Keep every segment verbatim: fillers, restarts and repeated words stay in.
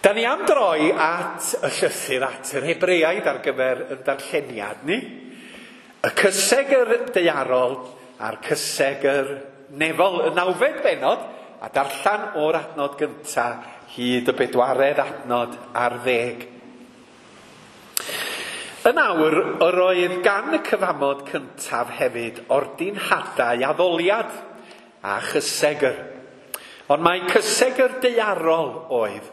Da ni am droi at y llythyr at yr Hebreaid ar gyfer y darlleniad ni. Y cysegr daearol a'r cysegr nefol, y nawfed bennod, a darllen o'r adnod gyntaf hyd y bedwaredd adnod ar ddeg. Yn awr, yr oedd gan y cyfamod cyntaf hefyd ordinhadau addoliad a chysegr. Ond mae cysegr daearol oedd.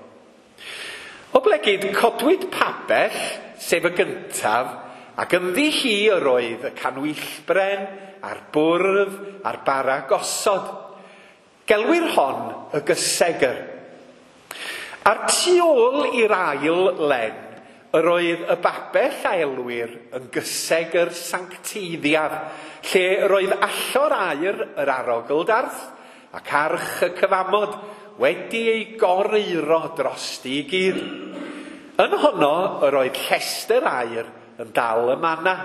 Oblegid codwyd pabell, sef y gyntaf, ac ynddi hi yr oedd y canwyllbren, a'r bwrdd, a'r bara gosod. Gelwir hon y gysegr. A'r tu ôl i'r ail len, yr oedd y babell a elwir yn gysegr sancteiddiaf, lle yr oedd allor aur yr arogl-darth ac arch y cyfamod wedi ei goreuro drosti i gyd. Yn honno yr oedd llestr aur yn dal y manna,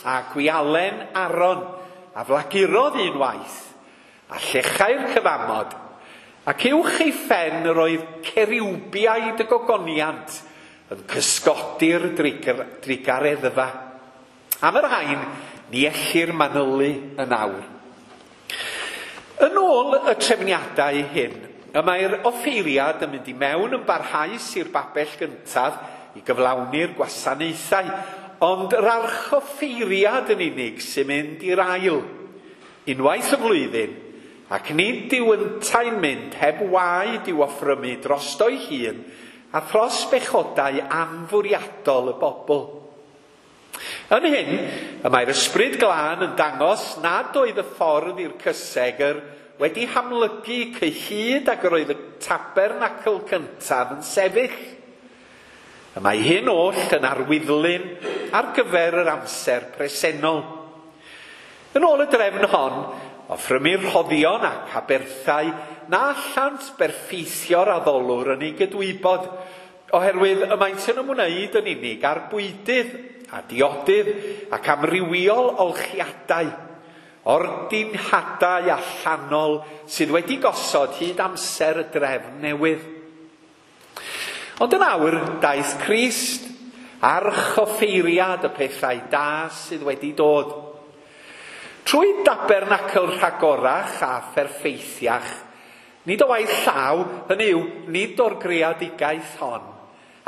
a gwialen Aron a flagurodd unwaith, a llechau'r cyfamod, ac uwch ei phen yr oedd ceriwbiaid y gogoniant yn cysgodi'r drugareddfa. Am yr rhain, ni ellir manylu yn awr. Yn ôl y trefniadau hyn, y mae'r offeiriad yn mynd i mewn yn barhaus i'r babell gyntaf i gyflawni'r gwasanaethau, ond yr archoffeiriad yn unig sy'n mynd i'r ail, unwaith y flwyddyn, ac nid yw yntau'n mynd heb waed i'w offrymu drosto'i hun a thros bechodau anfwriadol y bobl. Yn hyn, y mae'r Ysbryd Glân yn dangos nad oedd y ffordd i'r cysegr wedi hamlygu cyhyd ag yr oedd y tabernacl cyntaf yn sefyll. Y mae hyn oll yn arwyddlun ar gyfer yr amser presennol. Yn ôl y drefn hon, offrymir rhoddion ac aberthau na allant berffeithio'r addolwr yn ei gydwybod, oherwydd y maent yn ymwneud yn unig â'r bwydydd a diodydd ac amrywiol olchiadau, ordinhadau allanol sydd wedi gosod hyd amser y drefn newydd. Ond yn awr, daeth Crist, archoffeiriad y pethau da sydd wedi dod. Trwy dabernacl rhagorach a pherffeithiach, nid o waith llaw, hynny yw, nid o'r greadigaeth hon,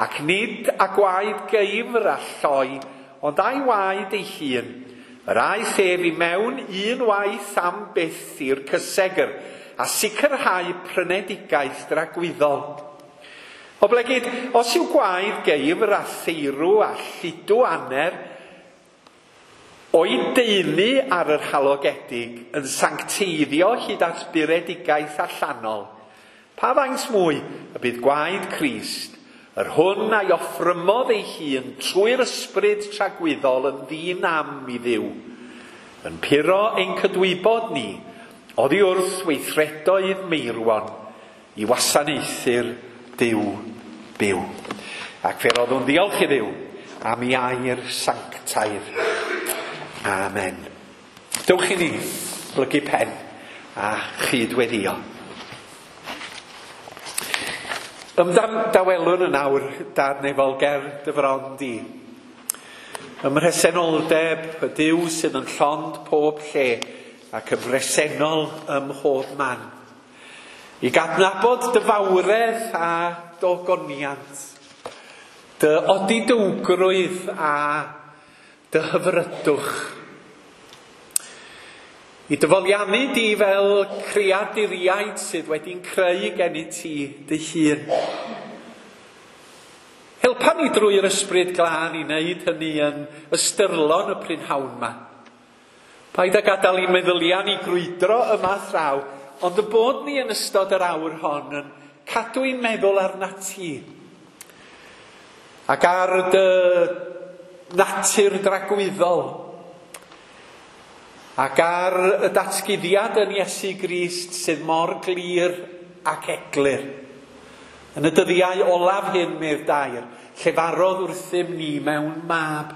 ac nid â gwaed geifr a lloi, ond a'i waed ei hun, yr aeth ef i mewn un waith am byth i'r cysegr, a sicrhau prynedigaeth dragwyddol. Oblegid, os yw gwaed geifr a theirw a lludw aner o'i deulu ar yr halogedig yn sancteiddio hyd at buredigaeth allanol, pa faint mwy y bydd gwaed Crist, yr hwn a'i offrymodd ei hun trwy'r ysbryd tragwyddol yn ddinam i Dduw, yn puro ein cydwybod ni oddi wrth weithredoedd meirwon i wasanaethu'r Duw byw. Ac fe roddwn ddiolch i Dduw am ei air sanctaidd. Amen. Dewch i ni blygu pen a chydweddio. Ymddawelwn yn awr, Dad nefol, ger dy fron di. Ym mhresenoldeb y Duw sydd yn llond pob lle ac yn bresennol ym mhob man. I gydnabod dy fawredd a dogoniant, dy odidowgrwydd a dy hyfrydwch. I dyfoliannu di fel creaduriaid sydd wedi'n creu gennyt ti dy hun. Helpa ni drwy'r Ysbryd Glân i wneud hynny yn ystyrlon y prynhawn yma. Paid â gadael i'n meddyliau ni grwydro yma thraw, ond y bod ni yn ystod yr awr hon yn cadw i'n meddwl arnat ti. Ac ar dy natur dragwyddol, ac ar y datguddiad yn Iesu Grist sydd mor glir ac eglur. Yn y dyddiau olaf hyn, medd dair, llefarodd wrthym ni mewn mab.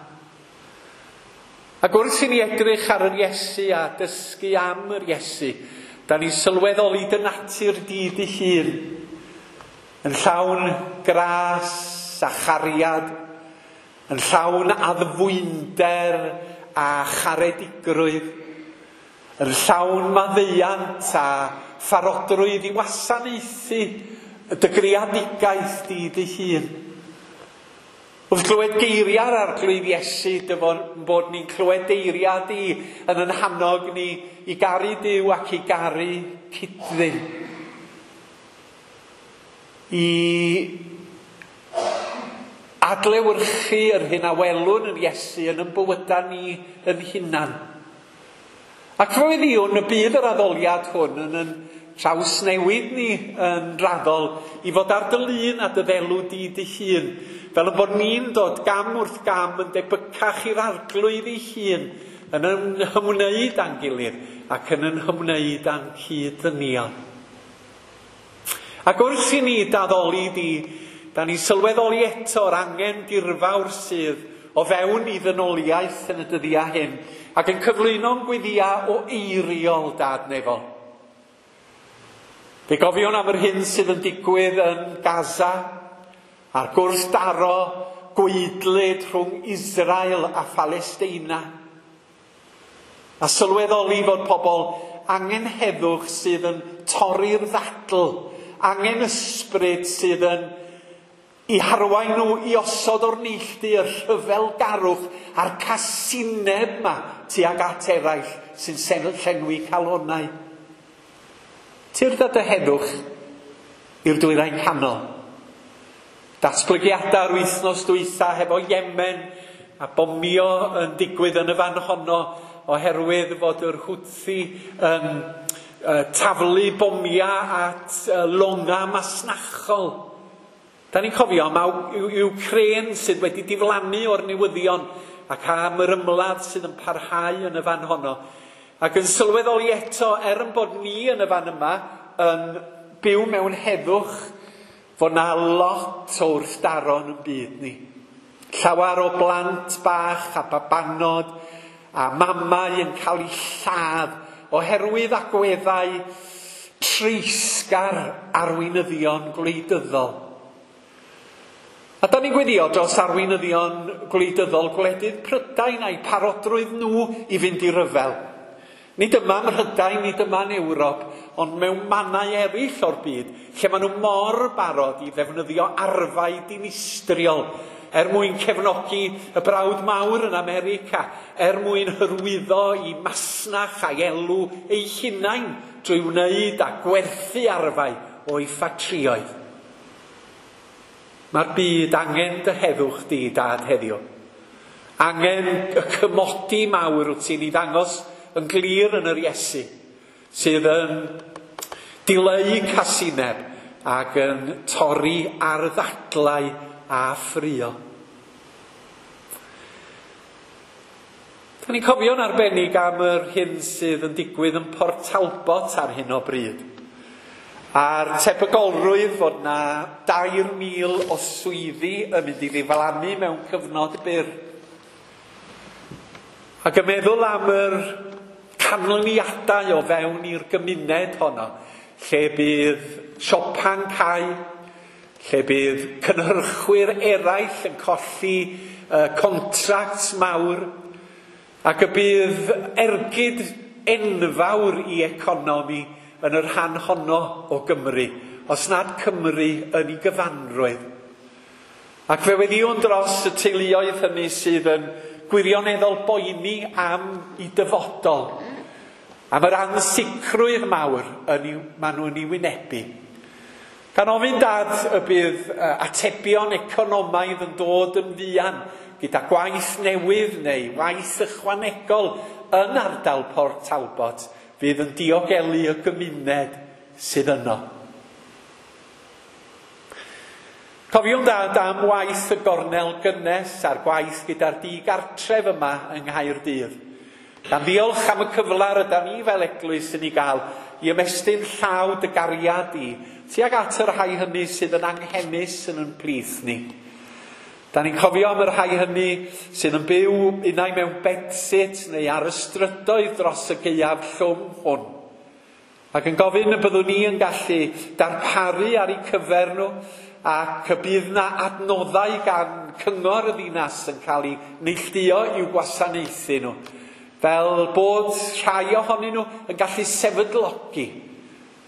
Ac wrth i ni edrych ar yr Iesu a dysgu am yr Iesu, da ni'n sylweddoli dy natur di dy hun. Yn llawn gras a chariad, yn llawn addfwynder a charedigrwydd, yn llawn maddeuant a pharodrwydd i wasanaethu dy greadigaeth di dy hun. Wrth glywed geiriau'r Arglwydd Iesu, dy bod ni'n clywed geiriau di yn yn hannog ni i garu Duw ac i garu cyd-ddyn. I adlewyrchu yr hyn a welwn yn Iesu yn yn bywydau ni yn hunan. Ac fe weddïwn y bydd yr addoliad hwn yn yn trawsnewid ni yn raddol i fod ar dy lun a dy ddelw di dy hun, fel y bod ni'n dod gam wrth gam yn debycach i'r Arglwydd ei hun, yn ymwneud â'n gilydd ac yn ymwneud â'n cyd-ddynion. Ac wrth i ni daddoli di, da ni'n sylweddoli eto'r angen dirfawr sydd o fewn i ddynoliaeth yn y dyddiau hyn, ac yn cyflwyno'n gweddïau o eiriol Dad nefol. Fe gofiwn am yr hyn sydd yn digwydd yn Gaza, a'r gwrthdaro gwaedlyd rhwng Israel a Phalesteina. A sylweddoli fod pobl angen heddwch sydd yn torri'r ddadl, angen ysbryd sydd yn i harwain nhw i osod o'r neilltu y rhyfelgarwch a'r casineb yma tuag at eraill sy'n llenwi calonnau. Tyrd â dy heddwch i'r dwyrain canol. Datblygiadau'r wythnos dwytha hefo Yemen a bomio yn digwydd yn y fan honno oherwydd fod yr Houthi yn uh, taflu bomiau at uh, longa masnachol. Da ni'n cofio am Ukraine sydd wedi diflannu o'r newyddion ac am yr ymladd sydd yn parhau yn y fan honno. Ac yn sylweddoli eto, er yn bod ni yn y fan yma yn byw mewn heddwch, fod na lot o wrthdaro yn byd ni. Llawer o blant bach a babanod a mamau yn cael eu lladd oherwydd agweddau treisgar arweinyddion gwleidyddol. A da ni'n gweddio dros arweinyddion gwleidyddol gwledydd Prydain a'i parodrwydd nhw i fynd i ryfel. Nid yma ym Mhrydain, nid yma yn Ewrop, ond mewn mannau eraill o'r byd, lle maen nhw mor barod i ddefnyddio arfau dinistriol er mwyn cefnogi y brawd mawr yn America, er mwyn hyrwyddo i masnach a'i elw eu hunain drwy wneud a gwerthu arfau o'i ffatrïoedd. Mae'r byd angen dy heddwch di, Dad, heddiw. Angen y cymodi mawr wyt ti'n ei ddangos yn glir yn yr Iesu, sydd yn dileu casineb ac yn torri ar ddadlau a ffrio. Da ni'n cofio'n arbennig am yr hyn sydd yn digwydd yn Port Talbot ar hyn o bryd. A'r tebygolrwydd fod na dair mil o swyddi yn mynd i ddiflannu mewn cyfnod byr. Ac yn meddwl am yr canlyniadau o fewn i'r gymuned honno, lle bydd siopa'n cau, lle bydd cynhyrchwyr eraill yn colli uh, contracts mawr, ac y bydd ergyd enfawr i economi yn yr rhan honno o Gymru, os nad Cymru yn ei gyfanrwydd. Ac fe weddïwn dros y teuluoedd hynny sydd yn gwirioneddol boeni am ei dyfodol, am yr ansicrwydd mawr yn ei, maen nhw'n ei wynebu. Gan ofyn Dad y bydd atebion economaidd yn dod yn fuan gyda gwaith newydd neu waith ychwanegol yn ardal Port Talbot fydd yn diogelu y gymuned sydd yno. Cofiwn Dad am waith y gornel gynnes a'r gwaith gyda'r digartref yma yng Nghaerdydd. Gan ddiolch am y cyfle rydan ni fel eglwys yn ei gael i ymestyn llaw dy gariad i tuag at y rhai hynny sydd yn anghenus yn yn plith ni. Da ni'n cofio am y rhai hynny sydd yn byw unai mewn bedsit neu ar y strydoedd dros y gaeaf llwm hwn. Ac yn gofyn y byddwn ni yn gallu darparu ar eu cyfer nhw, ac y bydd na adnoddau gan cyngor y ddinas yn cael ei neilltuo i'w gwasanaethu nhw, fel bod rhai ohonyn nhw yn gallu sefydlogi.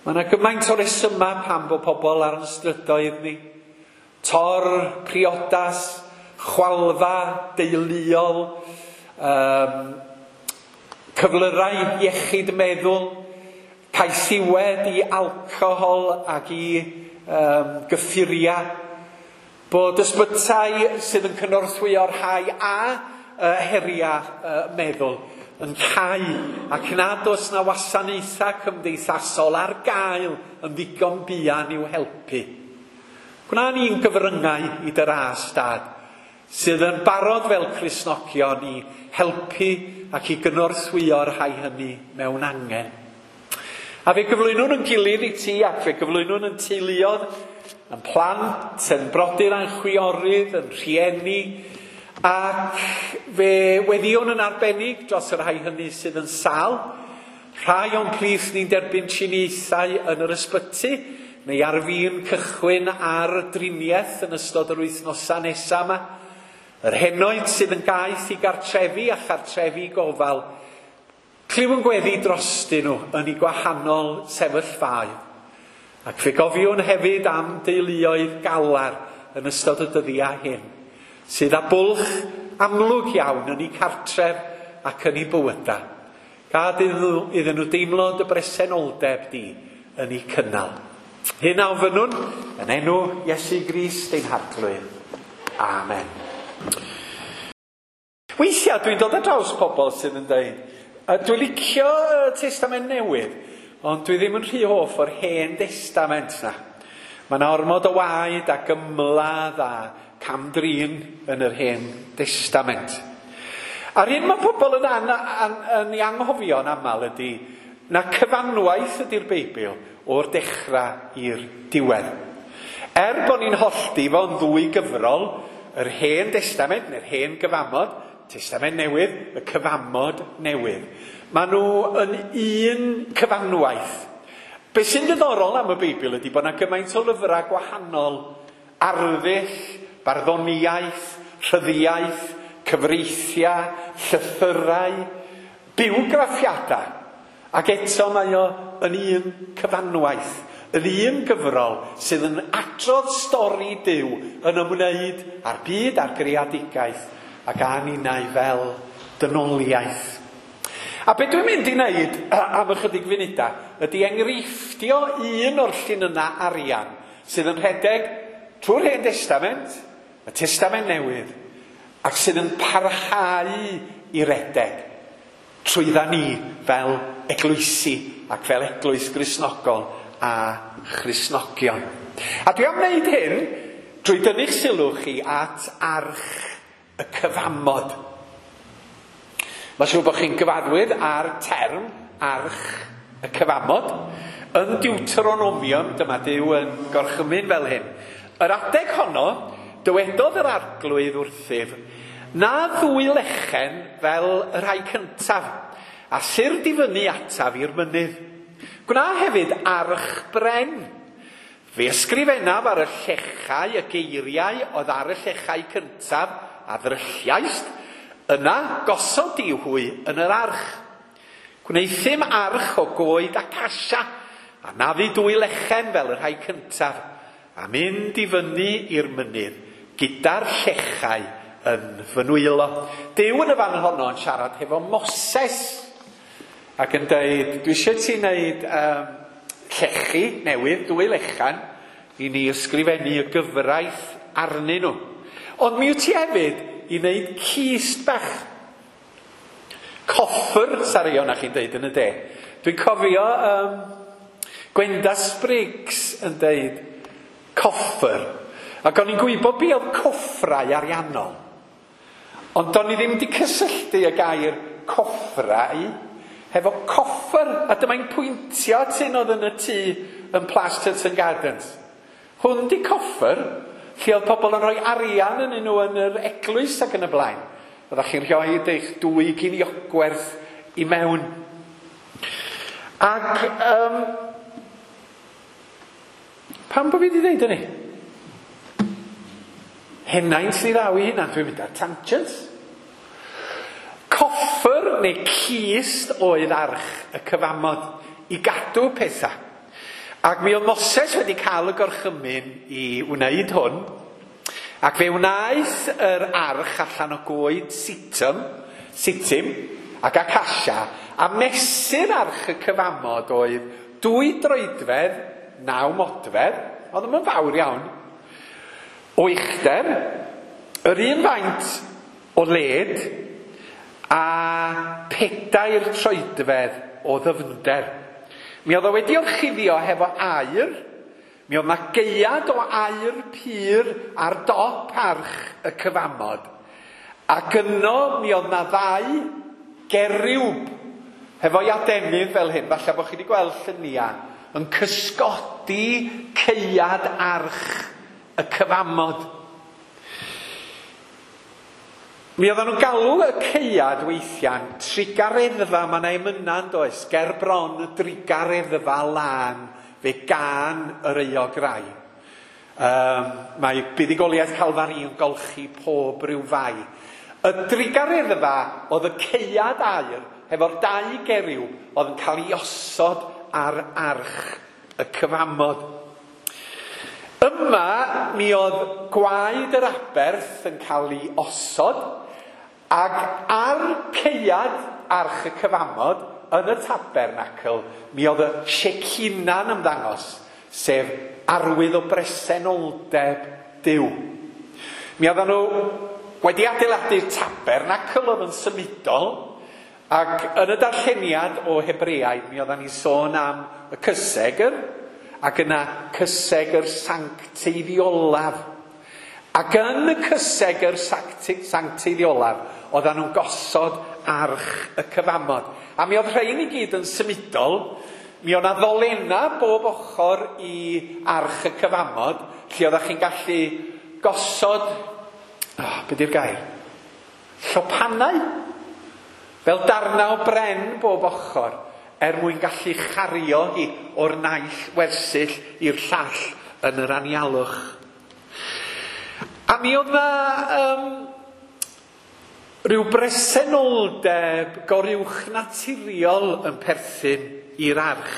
Mae yna gymaint o resymau pam bod pobl ar yn strydoedd ni. Tor, priodas, chwalfa, deuluol, um, cyflyrau iechyd meddwl, caethiwed i alcohol ac i um, gyffuriau, bod ysbytai sydd yn cynorthwyo'r rhai a uh, heriau uh, meddwl yn cau, ac nad oes na wasanaethau cymdeithasol ar gael yn ddigon buan i'w helpu. Gwna ni'n gyfryngau i dy ras, Dad, sydd yn barod fel Cristnogion i helpu ac i gynorthwyo'r rhai hynny mewn angen. A fe gyflwynwn yn gilydd i ti, ac fe gyflwynwn yn teuluoedd, yn plant, yn brodyr a'n chwiorydd, yn rhieni, ac fe weddïwn yn arbennig dros y rhai hynny sydd yn sâl. Rhai o'n plith ni'n derbyn triniaethau yn yr ysbyty, neu ar fin cychwyn ar driniaeth yn ystod yr wythnosau nesaf yma. Yr henoed sydd yn gaeth i gartrefi a chartrefi gofal, clyw yn gweddi drostyn nhw yn eu gwahanol sefyllfaoedd. Ac fe gofiwn hefyd am deuluoedd galar yn ystod y dyddiau hyn, sydd â bwlch amlwg iawn yn eu cartref ac yn eu bywydau. Gad iddyn nhw, iddyn nhw deimlo dy bresenoldeb di yn eu cynnal. Hyn a ofynnwn yn enw Iesu Grist ein Harglwydd. Amen. Weithiau dwi'n dod ar draws pobl sydd yn dweud, dwi'n licio y Testament Newydd, ond dwi ddim yn rhy hoff o'r Hen Destament na. Mae yna ormod o waed ac ymladd a cam-drin yn yr Hen Destament. A'r hyn mae pobl yn, an, an, yn ei anghofio'n aml ydy na cyfanwaith ydy'r Beibl o'r dechrau i'r diwedd. Er bod ni'n hollti fo'n ddwy gyfrol, yr Hen Destament neu'r Hen Gyfamod, Testament Newydd, y Cyfamod Newydd, maen nhw yn un cyfanwaith. Be sy'n ddiddorol am y Beibl ydy bod yna gymaint o lyfrau gwahanol, arddull, barddoniaeth, rhyddiaeth, cyfreithiau, llythyrau, bywgraffiadau. Ac eto mae o yn un cyfanwaith, yn un gyfrol sydd yn adrodd stori Duw yn ymwneud â'r byd a'r greadigaeth ac â ninnau fel dynoliaeth. A be dwi'n mynd i wneud am ychydig funudau ydy enghreifftio un o'r llinynnau arian sydd yn rhedeg trwy'r Hen Destament, y Testament Newydd, ac sydd yn parhau i redeg trwydda ni fel eglwysi ac fel eglwys Gristnogol a Christnogion. A dwi am wneud hyn drwy dynnu'ch sylw chi at arch y cyfamod. Mae'n siŵr bod chi'n gyfarwydd â'r term arch y cyfamod. Yn Deuteronomium, dyma Duw yn gorchymyn fel hyn. Yr adeg honno, dywedodd yr Arglwydd wrthyf, na ddwy lechen fel y rhai cyntaf, a syrd i fyny ataf i'r mynydd. Gwna hefyd arch bren. Fe ysgrifennaf ar y llechau y geiriau oedd ar y llechau cyntaf a ddrylliaist, yna gosod di hwy yn yr arch. Gwneuthum arch o goed acasia, a naddu dwy lechen fel y rhai cyntaf, a mynd i fyny i'r mynydd gyda'r llechau yn fy nwylo. Duw yn y fan honno yn siarad hefo Moses ac yn dweud, dwi eisiau ti wneud um, llechi newydd, dwy lechan, i ni ysgrifennu y gyfraith arnyn nhw. Ond mi wyt ti hefyd i wneud cist bach. Coffer, sari o'na chi'n deud yn y de. Dwi'n cofio um, Gwenda Spriggs yn deud coffer. Ac o'n i'n gwybod be oedd coffrau ariannol. Ond do'n i ddim wedi cysylltu y gair coffrau hefo coffer. A dyma'n pwyntio at hyn oedd yn y tŷ yn Plas Churton Gardens. Hwn di coffer, lle oedd pobl yn rhoi arian yn nhw yn yr eglwys ac yn y blaen. Oeddech chi'n rhoi eich dwy giniogwerth i mewn. Ac um, pam bod fi wedi dweud hynny? Henaint ni ddaw i hynna, dwi'n mynd ar tangent. Coffer neu cist oedd arch y cyfamod i gadw pethau. Ac mi oedd Moses wedi cael y gorchymyn i wneud hwn, ac fe wnaeth yr arch allan o goed situm, sitim ac acasia, a mesur arch y cyfamod oedd dwy droedfedd, naw modfedd, oedd ddim yn fawr iawn, o uchder, yr un faint o led, a pedair troedfedd o ddyfnder. Mi oedd o wedi orchuddio hefo aur, mi oedd 'na gaead o aur pur ar dop arch y cyfamod, ac yno mi oedd 'na ddau geriwb hefo'i adenydd fel hyn, falle bod chi wedi gweld lluniau, yn cysgodi caead arch y cyfamod. Mi oedden nhw'n galw y caead weithiau'n trugareddfa, mae yna emynau yn does, ger bron y drugareddfa lân, fe gân yr euog rai. Um, mae buddugoliaeth Calfari yn golchi pob rhyw fai. Y drugareddfa oedd y caead aur hefo'r dau geriwb oedd yn cael ei osod ar arch y cyfamod. Yma mi oedd gwaed yr aberth yn cael ei osod, ac ar caead arch y cyfamod yn y tabernacl mi oedd y Shekina'n ymddangos, sef arwydd o bresenoldeb Duw. Mi oedden nhw wedi adeiladu'r tabernacl oedd yn symudol, ac yn y darlleniad o Hebreaid mi oedden ni'n sôn am y cysegr, ac yna cysegr sancteiddiolaf. Ac yn y cysegr sancteiddiolaf oedden nhw'n gosod arch y cyfamod. A mi oedd rhain i gyd yn symudol. Mi oedd 'na ddolenna bob ochr i arch y cyfamod, lle oeddech chi'n gallu gosod, oh, be di'r gair? Llopanau, fel darnau o bren bob ochr, er mwyn gallu chario hi o'r naill wersyll i'r llall yn yr anialwch. A mi oedd 'na um, rhyw bresenoldeb goruwchnaturiol yn perthyn i'r arch.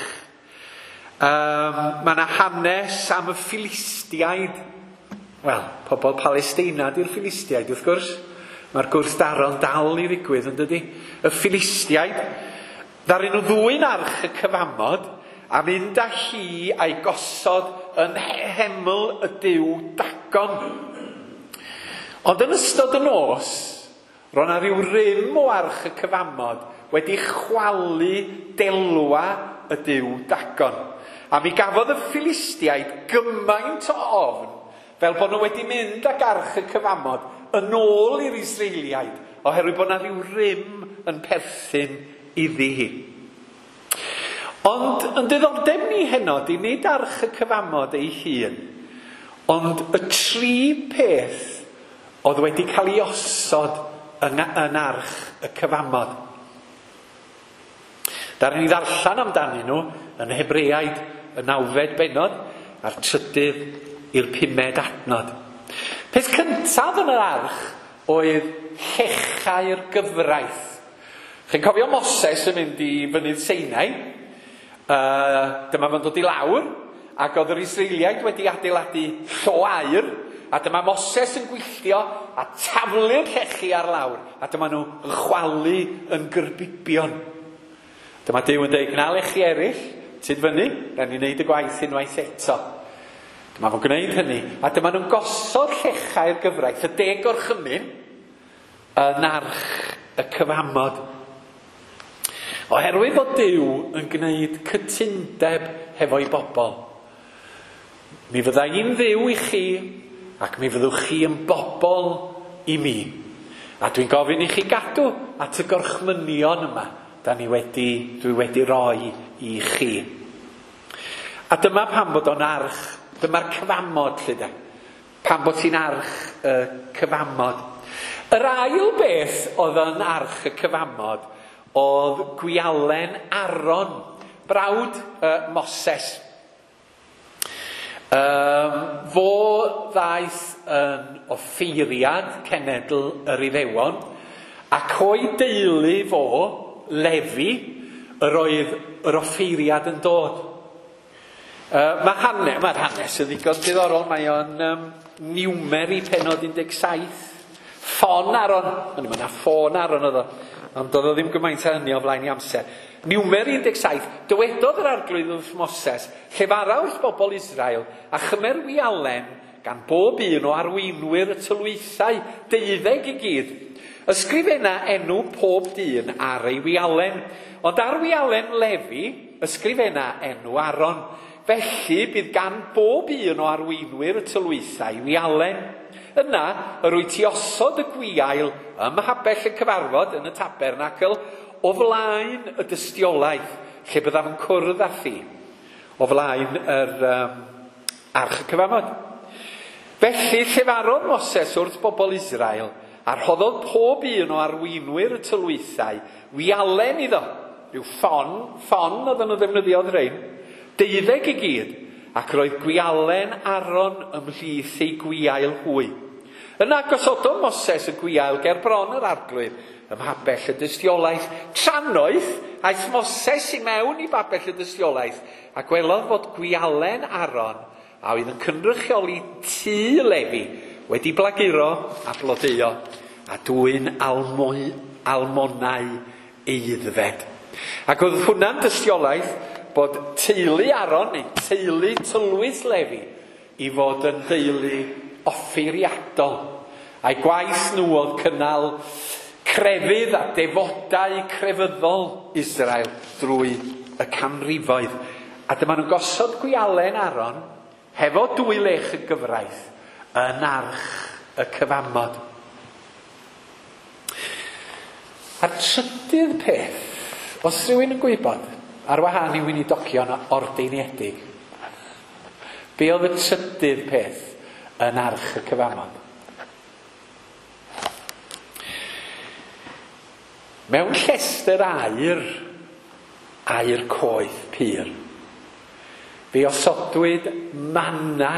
Um, mae yna hanes am y Philistiaid. Wel, pobl Palesteina di'r Philistiaid, wrth gwrs. Mae'r gwrthdaro'n dal i ddigwydd, yn dydi? Y Philistiaid, ddaru nhw ddwyn arch y cyfamod a mynd â hi a'i gosod yn heml y duw Dagon. Ond yn ystod y nos, roedd 'na ryw rym o arch y cyfamod wedi chwalu delwa y duw Dagon. A mi gafodd y Philistiaid gymaint o ofn fel bod nhw wedi mynd ag arch y cyfamod yn ôl i'r Israeliaid, oherwydd bod 'na ryw rym yn perthyn iddi hi. Ond yn diddordeb ni heno, di nid arch y cyfamod ei hun, ond y tri peth oedd wedi cael ei osod yn, yn arch y cyfamod. Darwn ni ddarllen amdanyn nhw yn Hebreaid y nawfed bennod a'r trydydd i'r pumed adnod. Peth cyntaf yn yr arch oedd llechau'r gyfraith. Chi'n cofio Moses yn mynd i fynydd Sinai? Uh, dyma fo'n dod i lawr, ac oedd yr Israeliaid wedi adeiladu llo aur, a dyma Moses yn gwylltio a taflu'r llechi ar lawr, a dyma nhw yn chwalu yn gyrbibion. Dyma Duw yn dweud, gna lechi eraill, tyd fyny, rhaid ni wneud y gwaith unwaith eto. Dyma fo'n gwneud hynny, a dyma nhw'n gosod llechau'r gyfraith, y deg gorchymyn, yn arch y cyfamod. Oherwydd fod Duw yn gwneud cytundeb hefo'i bobl. Mi fydda i'n Dduw i chi, ac mi fyddwch chi yn bobl i mi. A dwi'n gofyn i chi gadw at y gorchmynion yma da ni wedi, dwi wedi roi i chi. A dyma pam bod o'n arch, dyma'r cyfamod lle da. Pam bod ti'n arch y cyfamod. Yr ail beth oedd yn arch y cyfamod oedd gwialen Aaron, brawd uh, Moses. Um, fo ddaeth yn offeiriad cenedl yr Iddewon, ac o'i deulu fo, Lefi, yr oedd yr offeiriad yn dod. Uh, mae hanes, mae'r hanes yn ddigon diddorol, mae o'n um, Niwmeri pennod un deg saith. Ffon Aaron, o'n i'n meddwl ffôn Aaron oedd o, ond doedd o ddim gymaint â hynny o flaen i amser. Niwmeri un deg saith, dywedodd yr arglwydd wrth Moses, llefara wrth bobl Israel, a chymer wialen gan bob un o arweinwyr y tylwythau, deuddeg i gyd. Ysgrifenna enw pob dyn ar ei wialen, ond ar wialen Lefi, ysgrifenna enw Aaron. Felly bydd gan bob un o arweinwyr y tylwythau wialen. Yna, yr wyt ti osod y gwiail ym mhabell y cyfarfod yn y tabernacl o flaen y dystiolaeth, lle byddaf yn cwrdd â thi, o flaen yr um, arch y cyfamod. Felly, llefarodd Moses wrth bobl Israel, a rhoddodd pob un o arweinwyr y tylwythau wialen iddo, rhyw ffon, ffon oedden nhw ddefnyddiodd rhein, deuddeg i gyd, ac roedd gwialen Aaron ymhlith ei gwiail hwy. Yna gosododd Moses y gwiail ger bron yr arglwydd ym mhabell y dystiolaeth. Trannoeth aeth Moses i mewn i babell y dystiolaeth a gwelodd fod gwialen Aaron, a oedd yn cynrychioli tŷ Lefi, wedi blaguro a blodeuo a dwyn almoi, almonau eiddfed. Ac oedd hwnna'n dystiolaeth bod teulu Aaron, neu teulu tylwyth Lefi, i fod yn deulu offeiriadol. A'i gwaith nhw oedd cynnal crefydd a defodau crefyddol Israel drwy y canrifoedd. A dyma nhw'n gosod gwialen Aaron hefo dwy lech y gyfraith yn arch y cyfamod. A'r trydydd peth, os rhywun yn gwybod, ar wahân i weinidogion ordeiniedig, be oedd y trydydd peth yn arch y cyfamod? Mewn llestr aur, aur coeth pur, fe osodwyd manna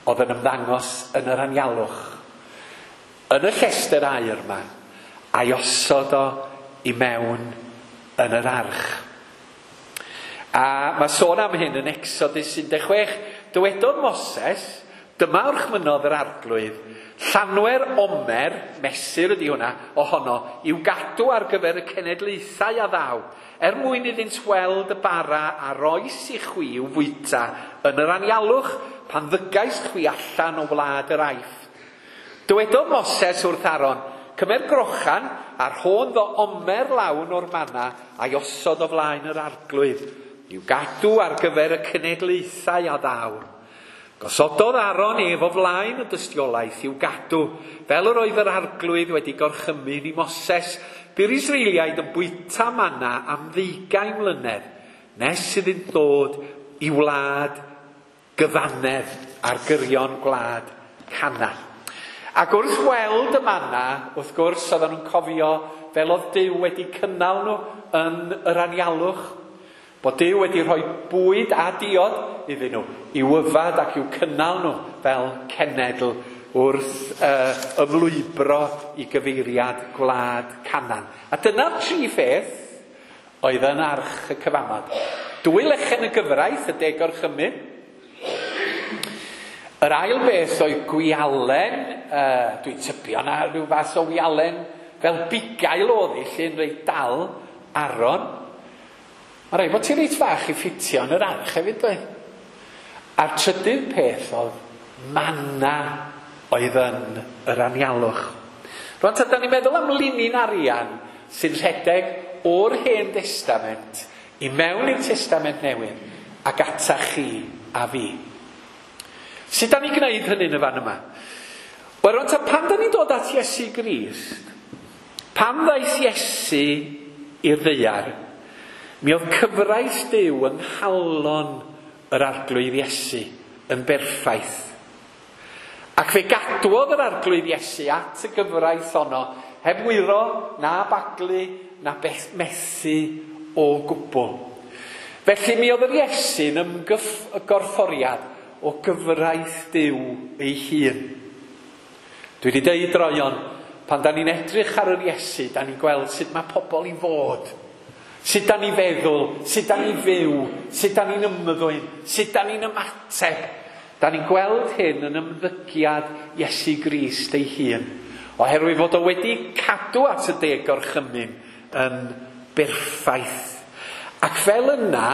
oedd yn ymddangos yn yr anialwch. Yn y llestr aur yma, a'i osod o i mewn yn yr arch. A mae sôn am hyn yn Exodus un deg chwech. Dywedodd Moses, dyma orchmynnodd yr arglwydd, llanwer omer, mesur ydy hwnna, ohono, i'w gadw ar gyfer y cenedlaethau a ddaw, er mwyn iddynt weld y bara a roes i chwi i'w fwyta yn yr anialwch pan ddygais chwi allan o wlad yr Aifft. Dywedodd Moses wrth Aaron, cymer grochan a rhôn ddo omer lawn o'r manna a'i osod o flaen yr arglwydd, i'w gadw ar gyfer y cenedlaethau a ddaw. Gosododd Aaron ef o flaen y dystiolaeth i'w gadw, fel yr oedd yr arglwydd wedi gorchymyn i Moses. Bu'r Israeliaid yn bwyta manna am ddeugain mlynedd, nes iddynt ddod i wlad gyfannedd ar gyrion gwlad Canaan. Ac wrth weld y manna, wrth gwrs, oedden nhw'n cofio fel oedd Duw wedi cynnal nhw yn yr anialwch, bod Duw wedi rhoi bwyd a diod iddyn nhw, i'w yfad ac i'w cynnal nhw fel cenedl wrth uh, ymlwybro i gyfeiriad gwlad Canaan. A dyna'r tri pheth oedd yn arch y cyfamod. Dwy lechen y gyfraith, y deg orchymyn. Yr ail beth oedd gwialen, uh, dwi'n tybio na rhyw fath o wialen fel bugail oedd hi, lle'n reit dal Aaron. Mae rhaid bod ti'n reit fach i ffitio yn yr arch hefyd, doedd. A'r trydydd peth oedd manna oedd yn yr anialwch. Rwan, ta, da ni'n meddwl am linyn arian sy'n rhedeg o'r Hen Testament i mewn i'r Testament Newydd ac ata chi a fi. Sut da ni'n gwneud hynny yn y fan yma? Wel, rwan, ta, pan da ni'n dod at Iesu Grist, pan ddaeth Iesu i'r ddaear, mi oedd cyfraith Duw yng nghalon yr arglwydd Iesu yn berffaith. Ac fe gadwodd yr arglwydd Iesu at y gyfraith honno, heb wyro, na baglu, na methu o gwbl. Felly mi oedd yr Iesu'n ymgorfforiad o gyfraith Duw ei hun. Dwi wedi deud droeon, pan da ni'n edrych ar yr Iesu, da ni'n gweld sut mae pobl i fod. Sut da ni feddwl, sut da ni fyw, sut da ni'n ymddwyn, sut da ni'n ymateb. Da ni'n gweld hyn yn ymddygiad Iesu Grist ei hun, oherwydd fod o wedi cadw at y deg gorchymyn yn berffaith. Ac fel yna,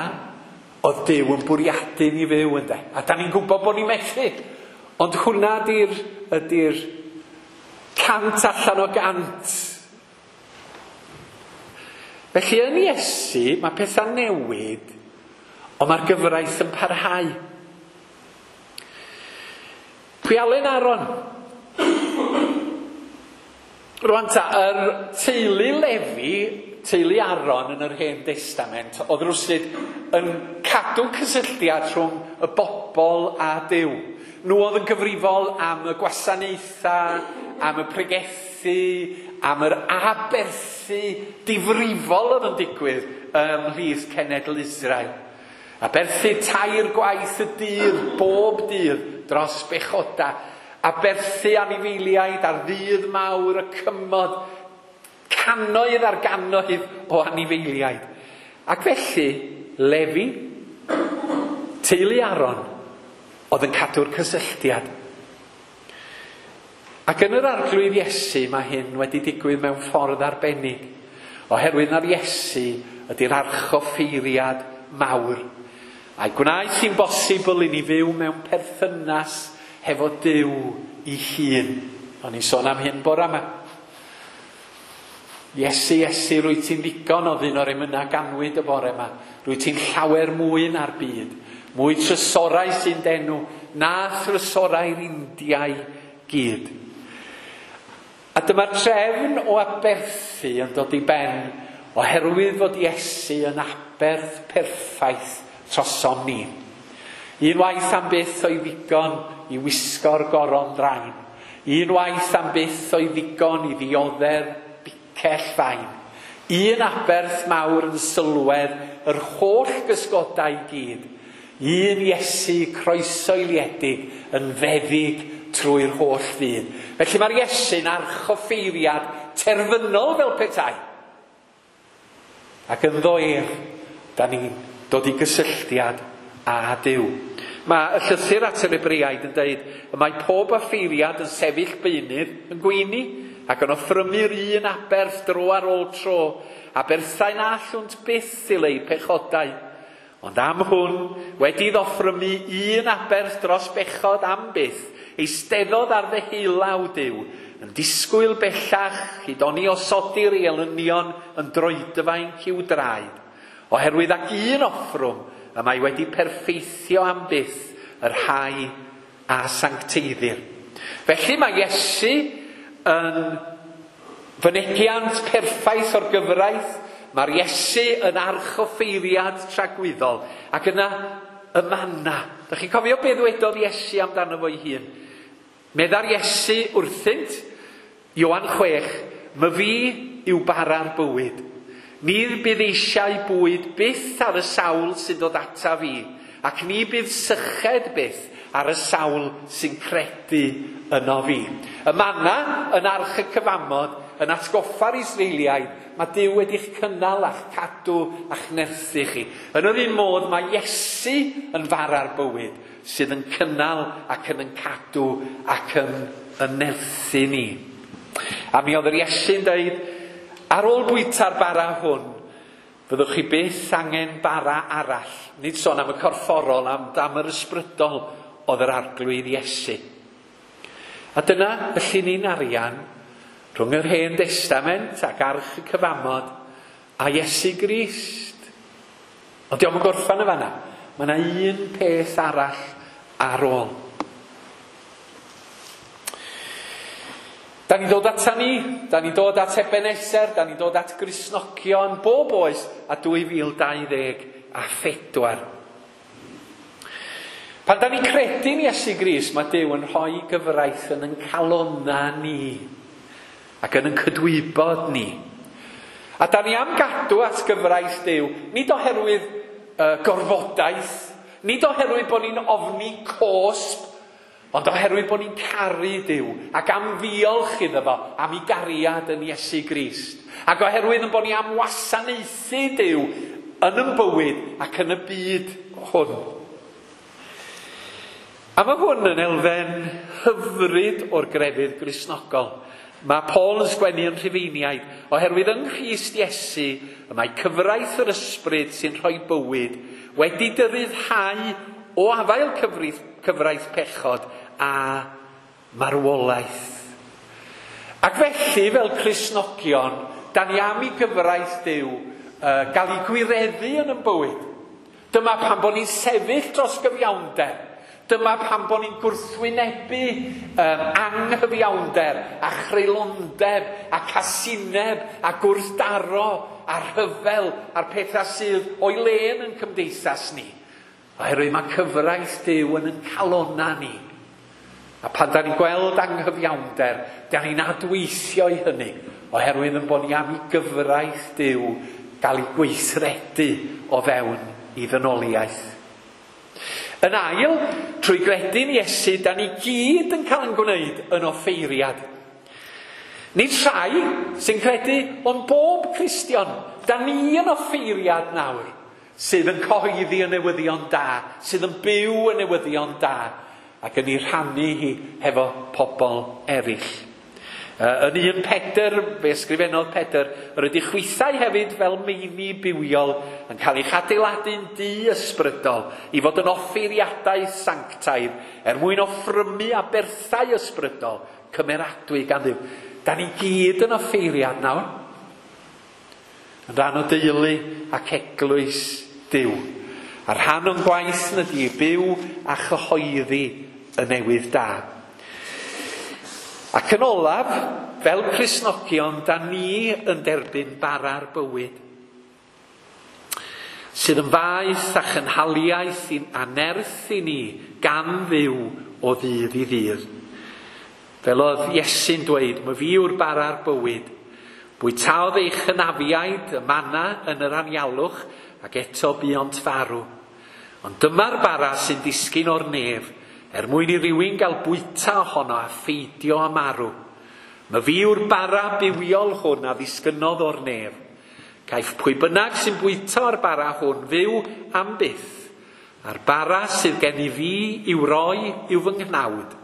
oedd Duw yn bwriadu ni fyw, ynde. A da ni'n gwybod bod ni'n methu. Ond hwnna ydy'r ydy'r cant allan o gant. Felly yn Iesu, mae pethau'n newid, ond mae'r gyfraith yn parhau. Pwialen Aaron. Rwan ta, yr teulu Lefi, teulu Aaron yn yr Hen Testament, oedd rwsyd yn cadw cysylltiad rhwng y bobl a Duw. Nhw oedd yn gyfrifol am y gwasanaethau, am y pregethu, am yr aberthu difrifol oedd yn digwydd ymhlith cenedl Israel. Aberthu tair gwaith y dydd, bob dydd, dros bechoda. Aberthu anifeiliaid ar ddydd mawr y cymod, cannoedd ar gannoedd o anifeiliaid. Ac felly, Lefi, teulu Aaron, oedd yn cadw'r cysylltiad. Ac yn yr Arglwydd Iesu mae hyn wedi digwydd mewn ffordd arbennig, oherwydd na'r Iesu ydy'r archoffeiriad mawr. A'i gwnaeth hi'n bosibl i ni fyw mewn perthynas hefo Duw ei hun. O'n i'n sôn am hyn bore yma. Iesu, Iesu, rwyt ti'n ddigon o ddyn o'r emynau ganwyd y bore yma. Rwyt ti'n llawer mwy na'r byd. Mwy trysorau sy'n denw na thrysorau'r Indiau gyd. A dyma'r trefn o aberthu yn dod i ben oherwydd fod Iesu yn aberth perffaith trosom ni. Unwaith am byth o'i ddigon i wisgo'r goron ddrain. Unwaith am byth o'i ddigon i ddioddef bicell fain. Un aberth mawr yn sylwedd yr holl gysgodau i gyd. Un Iesu croesoeliedig yn feddyg trwy'r holl fyd. Felly mae'r Iesu'n archoffeiriad terfynol fel petai. Ac ynddo ef, da ni'n dod i gysylltiad â Duw. Mae y llythyr at yr Hebreaid yn dweud y mae pob offeiriad yn sefyll beunydd yn gweini ac yn offrymu'r un aberth dro ar ôl tro, aberthau na allwnt byth i lei pechodau. Ond am hwn, wedi ddoffrymu un aberth dros bechod am byth, eisteddodd ar ddeheulaw Duw, yn disgwyl bellach i doni osodi'r ei elynion yn droedfainc i'w draed. Oherwydd ac un offrwm, y mae wedi perffeithio am byth yr rhai a sancteiddir. Felly mae Iesu yn fynegiant perffaith o'r gyfraith. Mae'r Iesu yn archoffeiriad tragwyddol. Ac yna y manna. Dach chi'n cofio beth ddwedodd Iesu amdano fo'i hun? Medda'r Iesu wrthynt, Ioan chwech, my fi yw bara'r bywyd. Ni bydd eisiau bwyd byth ar y sawl sy'n dod ata fi, ac ni bydd syched byth ar y sawl sy'n credu yno fi. Y manna yn arch y cyfamod, yn atgoffa'r Israeliaid, mae Duw wedi'ch cynnal a'ch cadw a'ch nerthu chi. Yn yr un modd, mae Iesu yn fara'r bywyd sydd yn cynnal ac yn yn cadw ac yn, yn nerthu ni. A mi oedd yr Iesu'n dweud, ar ôl bwyta'r bara hwn, fyddwch chi byth angen bara arall. Nid sôn am y corfforol, am, am yr ysbrydol oedd yr Arglwydd Iesu. A dyna y llinyn arian rhwng yr Hen Testament ac Arch y Cyfamod a Iesu Grist. Ond dio'm yn gorffan y fanna. Mae yna un peth arall ar ôl. Da ni'n dod ata ni, da ni'n dod at Ebenezer, da ni'n dod at Gristnogion bob oes a dwy fil dau ddeg a phedwar. Pan da ni'n credu'n Iesu Grist, mae Duw yn rhoi gyfraith yn ein calonna ni ac yn ein cydwybod ni. A da ni am gadw at gyfraith Duw, nid oherwydd uh, gorfodaeth, Nid oherwydd bod ni'n ofni cosb, ond oherwydd bod ni'n caru Duw ac am ddiolch iddo fo am ei gariad yn Iesu Grist. Ac oherwydd yn bod ni am wasanaethu Duw yn ein bywyd ac yn y byd hwn. A mae hwn yn elfen hyfryd o'r grefydd Gristnogol. Mae Paul yn sgwennu yn Rhufeiniaid, oherwydd yng Nghrist Iesu, y mae cyfraith yr ysbryd sy'n rhoi bywyd wedi dy ryddhau o afael cyfraith, cyfraith pechod a marwolaeth. Ac felly, fel Cristnogion, da ni am i gyfraith Duw uh, gael ei gwireddu yn ein bywyd. Dyma pan bod ni'n sefyll dros gyfiawnder. Dyma pan bod ni'n gwrthwynebu um, anghyfiawnder a chreulondeb a casineb a gwrthdaro a rhyfel a'r pethau sydd o'i le yn ein cymdeithas ni. Oherwydd mae cyfraith Duw yn ein calona ni. A pan da ni'n gweld anghyfiawnder, da ni'n adweithio i hynny, oherwydd yn bod ni am i gyfraith Duw gael ei gweithredu o fewn i ddynoliaeth. Yn ail, trwy gredu'n Iesu, da ni gyd yn cael ein gwneud yn offeiriad. Nid rhai sy'n credu, ond bob Cristion, da ni yn offeiriad nawr, sydd yn cyhoeddi y newyddion da, sydd yn byw y newyddion da, ac yn ei rhannu hi hefo pobl eraill. Yn un Pedr, fe ysgrifennodd Pedr, yr ydych chwithau hefyd fel meini bywiol yn cael eich adeiladu'n dŷ ysbrydol i fod yn offeiriadau sanctaidd er mwyn offrymu aberthau ysbrydol cymeradwy gan Dduw. Da ni gyd yn offeiriad nawr, yn rhan o deulu ac eglwys Duw. A rhan o'n gwaith yn ydi byw a chyhoeddi y newydd da. Ac yn olaf, fel Cristnogion, da ni yn derbyn bara'r bywyd, sydd yn faeth a chynhaliaeth a nerth i ni gan Dduw o ddydd i ddydd. Fel oedd Iesu'n dweud, "My fi yw'r bara'r bywyd. Bwytaodd eich hynafiaid y manna yn yr anialwch, ac eto buont farw. Ond dyma'r bara sy'n disgyn o'r nef, er mwyn i rywun gael bwyta ohono a pheidio â marw. My fi yw'r bara bywiol hwn a ddisgynnodd o'r nef. Caiff pwy bynnag sy'n bwyta o'r bara hwn fyw am byth. A'r bara sydd gen i fi i'w roi yw fy nghnawd,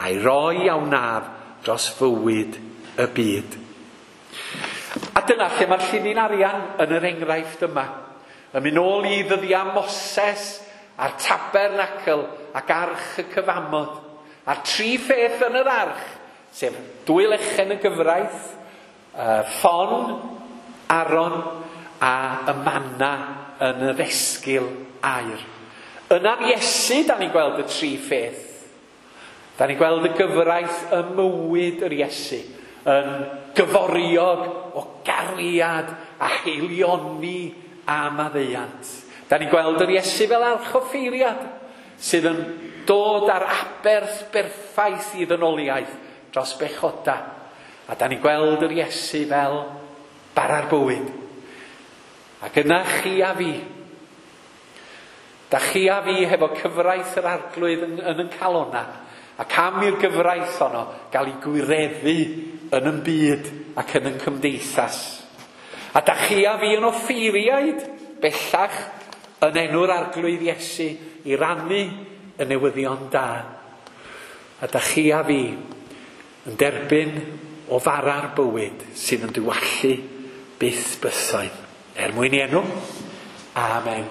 a'i roi a wnaf dros fywyd y byd." A dyna lle mae'r llinyn arian yn yr enghraifft yma. Yn mynd nôl i ddyddiau Moses a'r tabernacl ac arch y cyfamod. A'r tri pheth yn yr arch, sef dwy lechen y gyfraith, uh, ffon, Aron a y manna yn y ddesgil aur. Yna'r Iesu, da ni'n gweld y tri pheth. Da ni'n gweld y gyfraith ym mywyd yr Iesu, yn gyforiog o gariad a haelioni a maddeuant. Da ni'n gweld yr Iesu fel archoffeiriad sydd yn dod ar aberth berffaith i ddynoliaeth dros bechoda. A da ni'n gweld yr Iesu fel bara'r bywyd. Ac yna chi a fi. Da chi a fi hefo cyfraith yr Arglwydd yn, yn yn calona. Ac am i'r gyfraith honno gael ei gwireddu yn yn byd ac yn yn cymdeithas. A da chi a fi yn offeiriaid bellach yn enw'r Arglwydd Iesu i rannu y newyddion da. A da chi a fi yn derbyn o fara'r bywyd sydd yn diwallu byth bythoedd. Er mwyn i enw. Amen.